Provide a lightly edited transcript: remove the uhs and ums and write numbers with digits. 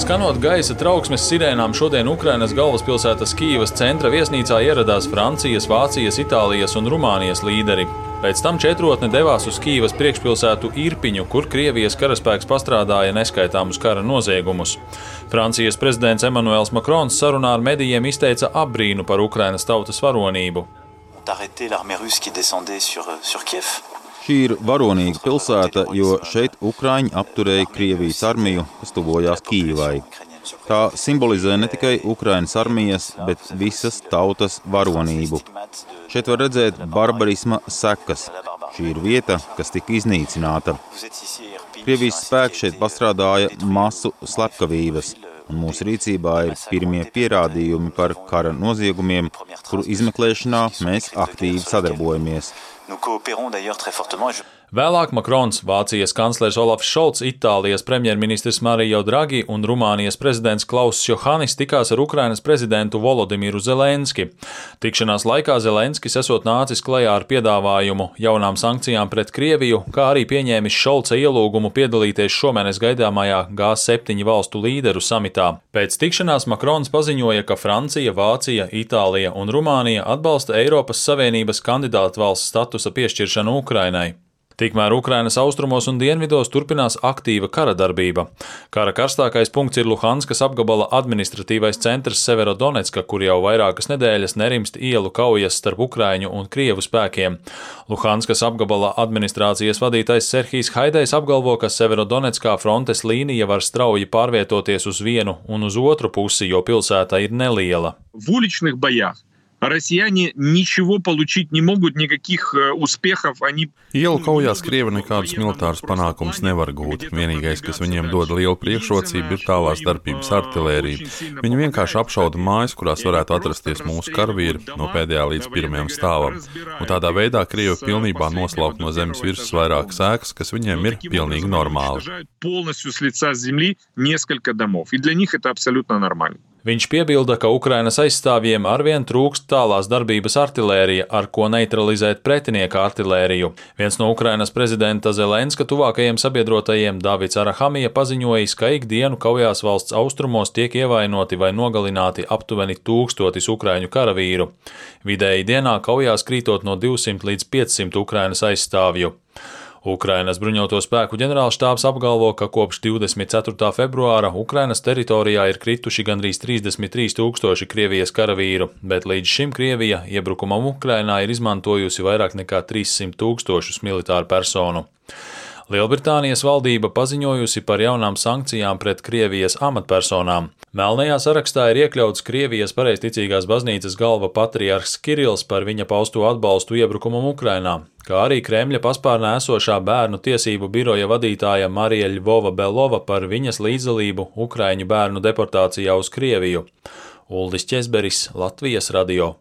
Skanot gaisa trauksmes sirēnām, šodien Ukrainas galvaspilsētas Kijivas centra viesnīcā ieradās Francijas, Vācijas, Itālijas un Rumānijas līderi. Pēc tam četrotne devās uz Kijivas priekšpilsētu Irpiņu, kur Krievijas karaspēks pastrādāja neskaitāmus kara noziegumus. Francijas prezidents Emmanuels Macrons sarunā ar medijiem izteica apbrīnu par Ukrainas tautas varonību. Šī ir varonīga pilsēta, jo šeit Ukraiņi apturēja Krievijas armiju, kas tuvojās Kijivai. Tā simbolizē ne tikai Ukrainas armijas, bet visas tautas varonību. Šeit var redzēt barbarisma sekas. Šī ir vieta, kas tika iznīcināta. Krievijas spēki šeit pastrādāja masu slepkavības, un mūsu rīcībā ir pirmie pierādījumi par kara noziegumiem, kuru izmeklēšanā mēs aktīvi sadarbojamies. Vēlāk Macrons, Vācijas kanclers Olafs Šolts, Itālijas premjerministrs Mario Draghi un Rumānijas prezidents Klauss Johannis tikās ar Ukrainas prezidentu Volodimiru Zelenski. Tikšanās laikā Zelenskis esot nācis klajā ar piedāvājumu jaunām sankcijām pret Krieviju, kā arī pieņēmis Šolca ielūgumu piedalīties šomēnes gaidāmajā G7 valstu līderu samitā. Pēc tikšanās Macrons paziņoja, ka Francija, Vācija, Itālija un Rumānija atbalsta Eiropas Savienības kandidātu valsts statusa piešķiršanu Ukrainai. Tikmēr Ukrainas austrumos un dienvidos turpinās aktīva kara darbība. Kara karstākais punkts ir Luhanskas apgabala administratīvais centrs Severodonetska, kur jau vairākas nedēļas nerimst ielu kaujas starp Ukraiņu un Krievu spēkiem. Luhanskas apgabala administrācijas vadītājs Serhijs Haidejs apgalvo, ka Severodonetskā frontes līnija var strauji pārvietoties uz vienu un uz otru pusi, jo pilsēta ir neliela. Россияне ничего получить не могут, никаких успехов они... Ielu kaujās Krievi nekādus militārus panākumus nevar gūt. Vienīgais, kas viņiem dod lielu priekšrocību, ir tālās darbības artilērija. Viņi vienkārši apšauda mājas, kurās varētu atrasties mūsu karavīri no pēdējā līdz pirmajam stāvam. Un tādā veidā Krievi pilnībā noslaukt no zemes virsmas vairākas ēkas, kas viņiem ir pilnīgi normāli. Viņš piebilda, ka Ukrainas aizstāvjiem arvien trūkst tālās darbības artilērija, ar ko neutralizēt pretinieka artilēriju. Viens no Ukrainas prezidenta Zelenska tuvākajiem sabiedrotajiem, Davids Arahamija, paziņojis, ka ikdienu kaujās valsts austrumos tiek ievainoti vai nogalināti aptuveni 1000 ukraiņu karavīru. Vidēji dienā kaujās krītot no 200 līdz 500 Ukrainas aizstāvju. Ukrainas bruņoto spēku ģenerālštābs apgalvo, ka kopš 24. februāra Ukrainas teritorijā ir krituši gandrīz 33 000 Krievijas karavīru, bet līdz šim Krievija iebrukumam Ukrainā ir izmantojusi vairāk nekā 300 000 militāru personu. Lielbritānijas valdība paziņojusi par jaunām sankcijām pret Krievijas amatpersonām. Melnajā sarakstā ir iekļauts Krievijas pareizticīgās baznīcas galva patriarhs Kirills par viņa pausto atbalstu iebrukumam Ukrainā, kā arī Kremļa paspārnē esošā bērnu tiesību biroja vadītāja Marija Ļvova-Belova par viņas līdzdalību ukraiņu bērnu deportācijā uz Krieviju. Uldis Ķezberis, Latvijas radio.